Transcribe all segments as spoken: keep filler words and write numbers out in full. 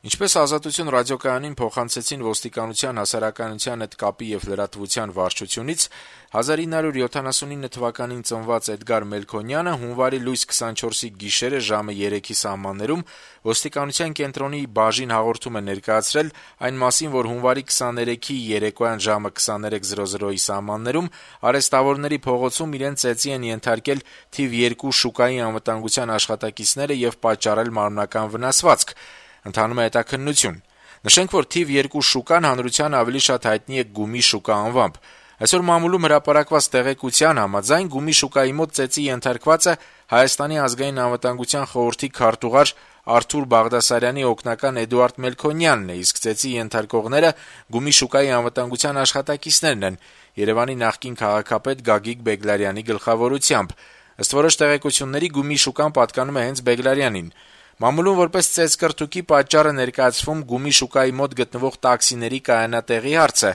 Ինչպես «Ազատություն» ռադիոկայանին փոխանցեցին ոստիկանության հասարակայնության հետ կապի եւ լրատվության վարչությունից, հազար ինը հարյուր յոթանասունինը թվականին ծնված Էդգար Մելքոնյանը հունվարի լույս քսանչորսի գիշերը ժամը երեքի սահմաններում ոստիկանության կենտրոնի բաժին հաղորդում է ներկայացրել այն մասին, որ հունվարի քսաներեքի երեկոյան ժամը քսաներեք զրո զրոյի սահմաններում արեստավորների փողոցում իրեն ծեծի են ենթարկել թիվ երկու շուկայի անվտանգության աշխատակիցները եւ պատճառել մարմնական վնասվածք։ Ընթանում է հետաքննություն։ Նշենք, որ թիվ երկու շուկան հանրության ավելի շատ հայտնի է Գումի շուկա անվամբ։ Այսօր մամուլում հրապարակված տեղեկության համաձայն Գումի շուկայի մոտ ծեծի ենթարկվածը Հայաստանի ազգային անվտանգության խորհրդի քարտուղար Արթուր Բաղդասարյանի օգնական Էդուարդ Մելքոնյանն է, իսկ ծեծի ենթարկողները Գումի շուկայի անվտանգության աշխատակիցներն են, Երեւանի նախկին քաղաքապետ Գագիկ Բեգլարյանի գլխավորությամբ։ Ըստ որոշ տեղեկությունների Գումի շուկան պատկանում է հենց Բեգլարյանին։ Մամուլում որպես ծեծկրտուկի պատճառը ներկայացվում Գումի շուկայի մոտ գտնվող տաքսիների կայանատեղի հարցը։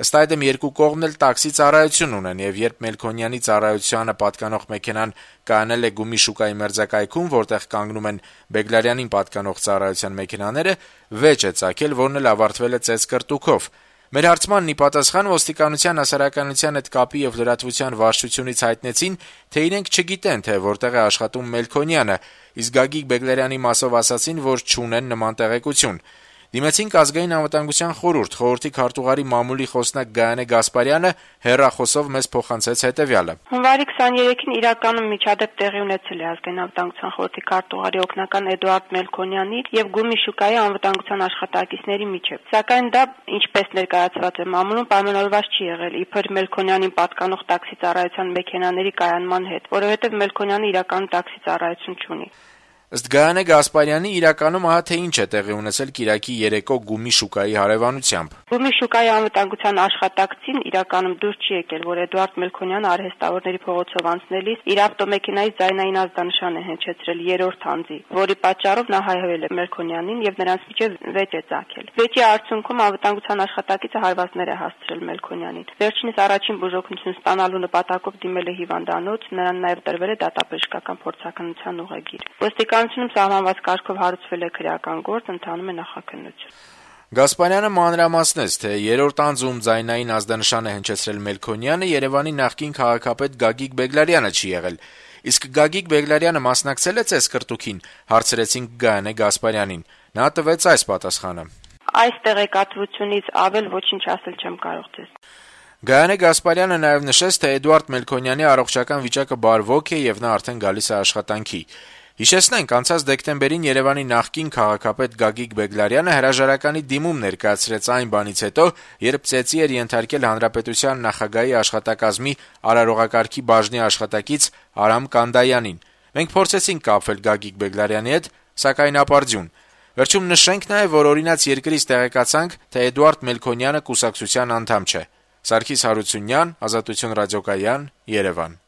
Ըստ այդմ երկու կողմն էլ տաքսի ծառայություն ունեն, եւ երբ Մելքոնյանի ծառայությանը պատկանող մեքենան կայանել է Գումի շուկայի մերձակայքում, որտեղ կանգնում են Բեգլարյանին պատկանող ծառայության մեքենաները, վեճ է ծագել, որն էլ ավարտվել է ծեծկրտուքով։ Մեր հարցմանն ի պատասխան ոստիկանության հասարակայնության հետ կապի եւ լրատվության վարչությունից հայտնեցին, թե իրենք չգիտեն, թե որտեղ է աշխատում Մելքոնյանը, իսկ Գագիկ Բեգլարյանի մասով ասացին, որ չունեն նման տեղեկություն։ Դիմեցինք ազգային անվտանգության խորհուրդ, խորհրդի քարտուղարի մամուլի խոսնակ Գայանե Գասպարյանը հեռախոսով մեզ փոխանցեց հետեւյալը. Հունվարի քսաներեքին իրականում միջադեպ տեղի ունեցել է ազգային անվտանգության խորհրդի քարտուղարի օգնական Էդուարդ Մելքոնյանի եւ Գումի շուկայի անվտանգության աշխատակիցների միջեւ։ Սակայն դա, ինչպես ներկայացված է մամուլում, պայմանավորված չի եղել իբր Մելքոնյանին պատկանող տաքսի ծառայության մեքենաների կայանման հետ, որովհետեւ Մելքոնյանը իրականում տաքսի ծառայություն չունի։ Ըստ Գայանե Գասպարյանի, իրականում ահա թե ինչ է տեղի ունեցել կիրակի երեկո Գումի շուկայի հարևանությամբ։ Գումի շուկայի անվտանգության աշխատակցին իրականում դուր չի եկել, որ Էդուարդ Մելքոնյանը արհեստավորների փողոցով անցնելիս իր ավտոմեքենայի ձայնային ազդանշան է հնչեցրել երրորդ անձի, որի պատճառով նա հայհոյել է Մելքոնյանին եւ նրանց միջեւ վեճ է ծագել։ Վեճի արդյունքում անվտանգության աշխատակիցը հարվածներ է հասցրել Մելքոնյանին։ Վերջինս առաջին բուժօգնություն ստանալու նպատակով դիմել է հիվանդանոց, նրան նաեւ տրվել է դատաբժշկական փորձաքննության ուղեգիր։ Ոստիկանությունում սահմանված կարգով հարուցվել է քրեական գործ, ընթանում է նախաքննություն։ Գասպարյանը մանրամասնեց, թե երրորդ անձում ձայնային ազդանշան է հնչեցրել Մելքոնյանը, Երեւանի նախկին քաղաքապետ Գագիկ Բեգլարյանը չի եղել։ Իսկ Գագիկ Բեգլարյանը մասնակցել է ծեծկրտուքին, հարցրեցինք Գայանե Գասպարյանին։ Նա տվեց այս պատասխանը. Այս տեղեկատվությունից ավել ոչինչ ասել չեմ կարող ձեզ։ Գայանե Գասպարյանը նաեւ նշեց, թե Էդուարդ Մելքոնյանի առողջական վիճակը բարվոք է եւ նա արդեն գալիս է աշխատանքի։ Հիշեցնենք, անցած դեկտեմբերին Երեւանի նախկին քաղաքապետ Գագիկ Բեգլարյանը հրաժարականի դիմում ներկայացրեց այն բանից հետո, երբ ծեծի էր ենթարկել հանրապետության նախագահի աշխատակազմի արարողակարգի բաժնի աշխատակից Արամ Կանդայանին։ Մենք փորձեցինք կապվել Գագիկ Բեգլարյանի հետ, սակայն ապարդյուն։ Վերջում նշենք նաեւ, որ օրինաց երկրից տեղեկացանք, թե Էդուարդ Մելքոնյանը կուսակցության անդամ չէ։ Սարգիս Հարությունյան, Ազատություն ռադիոկայան, Երևան։